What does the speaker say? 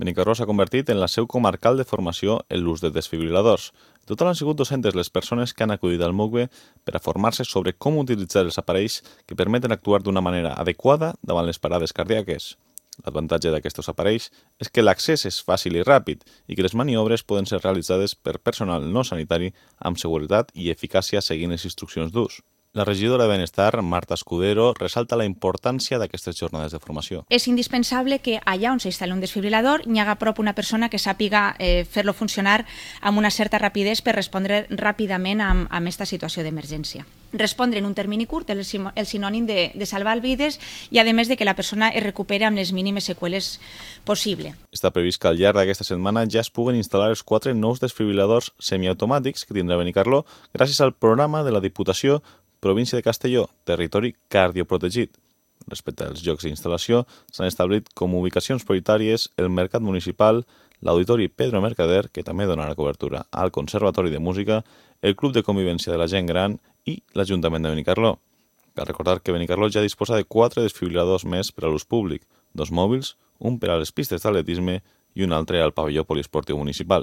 Benicarló s'ha convertit en la seu comarcal de formació en l'ús de desfibriladors. En total han sigut 200 les persones que han acudit al MUCBE per a formar-se sobre com utilitzar els aparells que permeten actuar d'una manera adequada davant les parades cardíaques. L'avantatge d'aquests aparells és que l'accés és fàcil i ràpid i que les maniobres poden ser realitzades per personal no sanitari amb seguretat i eficàcia seguint les instruccions d'ús. La regidora de Benestar, Marta Escudero, resalta la importància d'aquestes jornades de formació. És indispensable que allà on s'instal·li un desfibrilador hi haga a prop una persona que sàpiga fer-lo funcionar amb una certa rapidesa per respondre ràpidament a aquesta situació d'emergència. Respondre en un termini curt és el sinònim de salvar vides i, a més, de que la persona es recuperi amb les mínimes seqüeles possible. Està previst que al llarg d'aquesta setmana ja es puguen instal·lar els 4 nous desfibriladors semiautomàtics que tindrà Benicarló gràcies al programa de la Diputació Província de Castelló, territori cardioprotegit. Respecte als llocs d'instal·lació, s'han establit com ubicacions prioritàries el Mercat Municipal, l'Auditori Pedro Mercader, que també donarà cobertura al Conservatori de Música, el Club de Convivència de la Gent Gran i l'Ajuntament de Benicarló. Cal recordar que Benicarló ja disposa de 4 desfibriladors més per a l'ús públic, 2 mòbils, un per a les pistes d'atletisme i un altre al pavelló poliesportiu municipal.